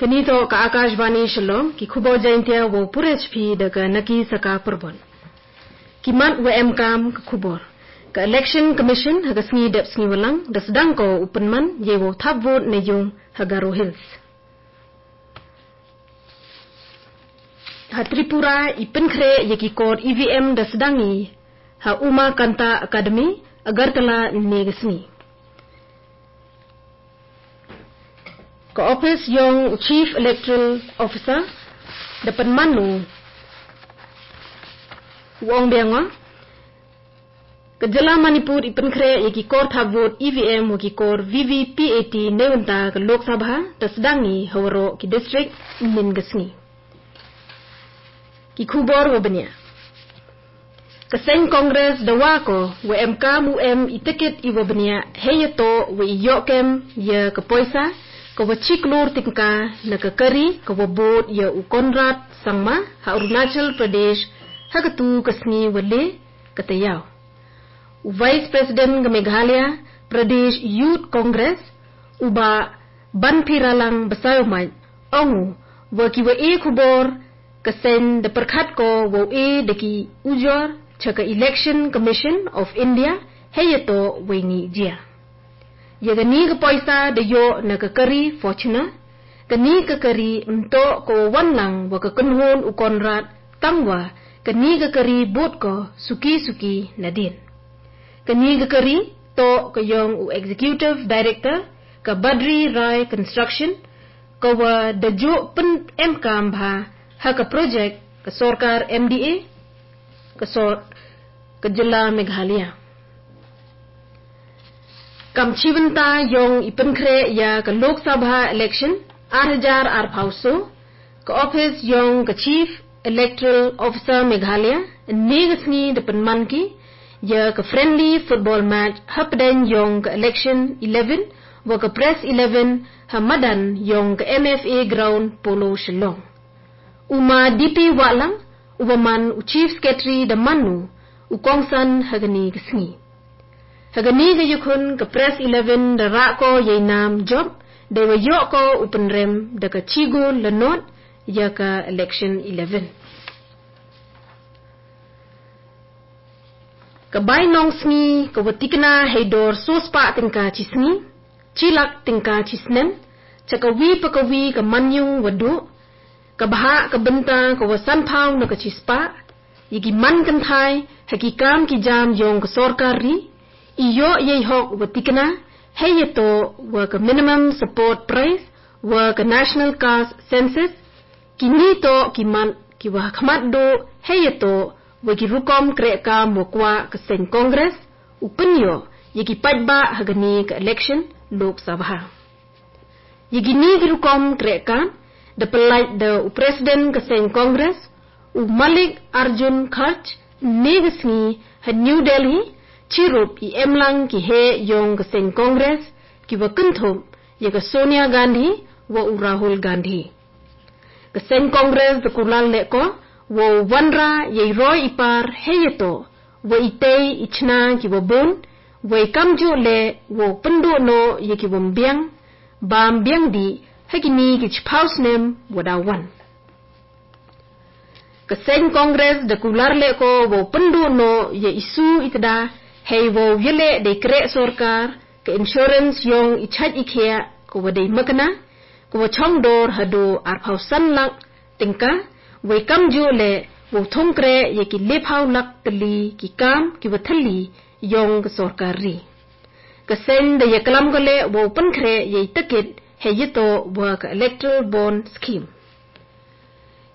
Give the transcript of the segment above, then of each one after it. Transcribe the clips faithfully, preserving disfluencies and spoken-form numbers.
Kani toh ka Akashvani Shillong, ki khubor Jaintia wow pure chiphi da ka Naki Saka Purbon. Ki mat wa emkam ka khubor. Ka Election Commission ha ka sngi dep sngi walang da sdang ko u pynman yei wow thap vote na yung ha Garo Hills. Ha Tripura i pynkhreh ya ki kor E V M da sdang i ha Umakanta Academy, Agartala ynne ka sngi. Ka office yong u Chief Electoral Officer da pynman u ong biang wa ka jylla Manipur i pynkhreh ya ki kor thap vote E V M wa ki kor V V P A T neibynta ka Lok Sabha da sdang i ha waroh ki district ynnin ka sngi. Ki khubor wa bniah. Ka seng Congress da wa ko wa emkam u em i ticket i wa bniah hei ya toh wa i yoh kem ya ka poisa ka wa chi klur tyngka na ka kari ka wa bud ya u Conrad Sangma ha Arunachal Pradesh ha ka tu ka sngi wa le ka tayaw. U Vice President ka Meghalaya Pradesh Youth Congress, u Bah Banphiralang Basaiawmoit, ong u wa ki wa e khubor ka seng da pyrkhat ko wow e da ki ujor cha ka Election Commission of India hei ya toh wa i ngih jia. Ya kani ka poisa da yoh na ka kari Fortuner, kani ka kari ym toh ka wa wan lang wa ka kynhun u Conrad tang wa kani ka kari bud ko suki suki nadien. Kani ka kari toh ka yong u Executive Director ka Badri Rai Construction, ka wa da juh pynemkam bha ha ka project ka sorkar M D A ka sor ka jylla Meghalaya. Kam chibynta yong i pynkhreh ya ka Lok Sabha election ar hajar arphaw so, ka office yong ka Chief Electoral Officer Meghalaya ynne ka sngi da pynman ki ya ka friendly football match hapdeng yong ka Election Eleven wa ka Press Eleven ha madan yong ka M F A Ground, Polo, Shillong. U Ma D P Wahlang, u wa man u Chief Secretary da man u u kongsan ha kani ka sngi. Ha kani ka yakhun ka Press Eleven da rah ko ya i nam jop da i wa yoh ko u pynrem da ka chigo lanot ya ka Election Eleven. Ka bai nongsngi ka wa tikna hei dor so spah tyngka chi sngi, chi lak tyngka chi snem, cha ka wi pa ka wi ka manyung wa duh, ka bhah ka bynta ka wa sanphaw na ka chi spah, ya ki man kynthai ha ki kam ki jam yong ka sorkar ri, i yoh ya i hok wa tikna hei ya toh wa ka minimum support price wa ka National Caste Census, kini toh ki mat ki wa ha khmat duh hei ya toh wa ki rukom kreh kam wa kwah ka seng Congress u pynyoh ya ki paidbah ha kani ka election Lok Sabha. Ya kini ki rukom kreh kam da pyllait da u President ka seng Congress, u Mallikarjun Kharge, ynne ka sngi ha New Delhi, chirup i emlang ki heh yong ka seng Congress ki wa kynthup ya ka Sonia Gandhi wa u Rahul Gandhi. Ka seng Congress da kular leh ko wow wanrah ya i roi i par hei ya toh wa i tei i chna ki wa bun, wa i kamjooh leh wow pynduh noh ya ki wa ym biang, bam biang dih ha kini ki chiphaw snem wa da wan. Ka seng Congress da kular leh ko wow pynduh noh ya i su i tda hei wow ya leh da i kreh sorkar ka insurance yong i chait i khiah ka wa da i makna ka wa chong dor haduh arphaw san lak tyngka, wa i kamjooh leh wow thung kreh ya ki lephaw lak tylli ki kam ki wa thylli yong ka sorkar ri. Ka seng da ya klam ko leh wow pynkhreh ya i ticket hei ya toh wa ka electoral bond scheme.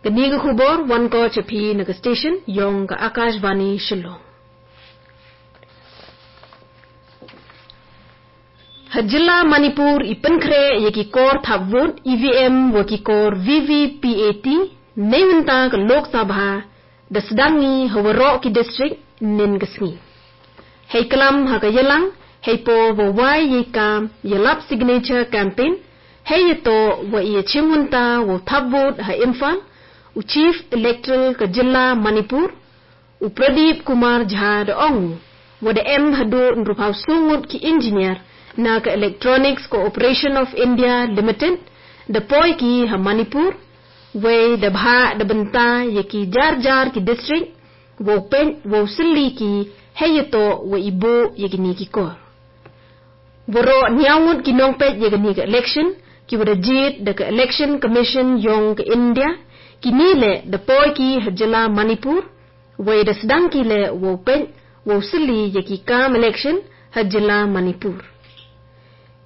Kani ka khubor wan ko cha phi na ka station yong ka Akashvani Shillong. Ha jylla Manipur i pynkhreh ya ki kor thap vote E V M wa ki kor V V P A T neibynta ka Lok Sabha da sdang i ha waroh ki district ynnin ka sngi. Hei klam ha ka yalang hei por wa wai ya i kam ya lap signature campaign hei ya toh wa i ya chim wynta wow thap vote ha Imphal, u Chief Electoral ka jylla Manipur, u Pradeep Kumar Jha da ong u wa da em haduh ynruphaw so ngut ki engineer na ka Electronics Corporation of India Limited da poi ki ha Manipur, wei da bha da bynta ya ki jar jar ki district, wow peit wow sylli ki heiya toh wa i buh ya kini ki kor. Waroh niaw ngut ki nongpeit ya kani ka election, ki wa da jied da ka Election Commission yong ka India, kini leh da poi ki ha jylla Manipur, wei da sdang ki leh wow peit wow sylli ya ki kam election ha jylla Manipur.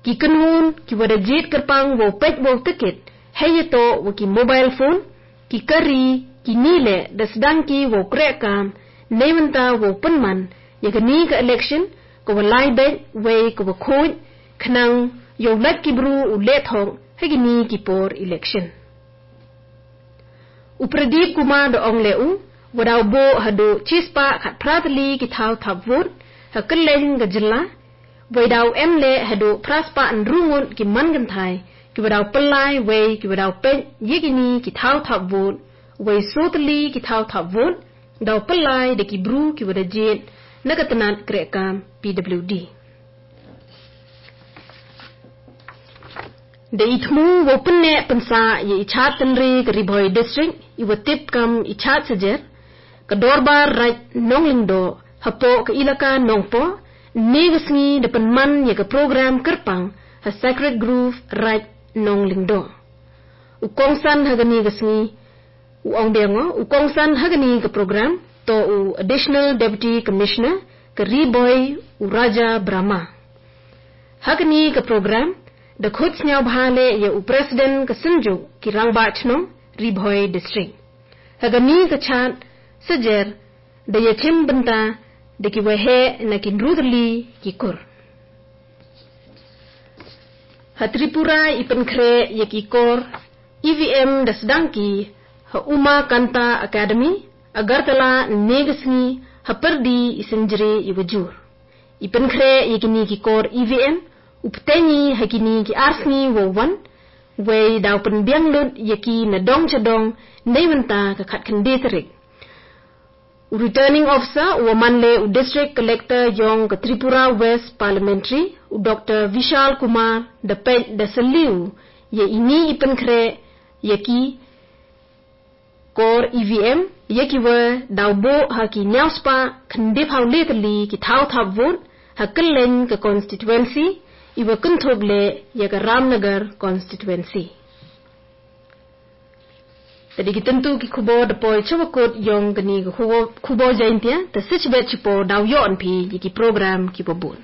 Ki kynhun ki wa da jied kyrpang wow peit wow tikit, heiya toh wa ki mobile phone, ki kari, kini leh da sdang ki wow kreh kam, neibynta wow pynman ya kani ka election ka wa lai beit wei ka wa khuid, khnang yow lait ki bru u leh thok ha kini ki por election. U Pradip Kumar da ong leh u, wa daw buh haduh chispah khatphra tylli ki thaw thap vote ha kylleiñ ka jylla, wei daw em leh haduh phraspah ynru ngut ki man kynthai ki wa daw pyllai wei ki wa daw peit ya kini ki thaw thap vote, wei so tylli ki thaw thap vote daw pyllai da ki bru ki wa da jied na ka tnat kreh kam P W D. Da i thmu wow pynneh pynsah ya i chad tynre ka Ri Bhoi District, i wa tip kam i chad sajer, ka Dorbar Raij Nonglingdoh hapoh ka ilaka Nongpoh, ynne ka sngi da pynman ya ka program kyrpang ha Sacred Grove Raij Nonglingdoh. U kongsan ha kani ka sngi, u ong biang o, u kongsan ha kani ka program toh u Additional Deputy Commissioner ka Ri Bhoi, u Raja Brahma. Ha kani ka program da khut sñiawbha leh ya u President ka Synjuk ki Rangbah Chnong Ri Bhoi District. Ha kani ka chad sajer da ya chim bynta da ki wa heh na ki ynru tylli ki kur. Ha Tripura i pynkhreh ya ki kor E V M da sdang ki ha Umakanta Academy, Agartala, ynne ka sngi ha pyrdi i synjri i wa jur. I pynkhreh ya kini ki kor E V M u pteiñ i ha kini ki ar sngi wow wan, wei daw pynbiang lut ya ki na dong cha dong neibynta ka khatkhyndai tarik. U Returning Officer u wa man leh u District Collector yong ka Tripura West Parliamentary, u Doctor Vishal Kumar, da peit da sylli u ya ini i pynkhreh ya ki kor E V M ya ki wa daw buh ha ki niaw spah khyndaiphaw le tylli ki thaw thap vote ha kylleiñ ka constituency, i wa kynthup leh ya ka Ramnagar constituency. Ta dei ki tyntu ki khubor da poi cha wa kut yong kani ka khubor, khubor Jaiñtia, ta sitbet chipor daw yoh phi ya ki program ki wa bun.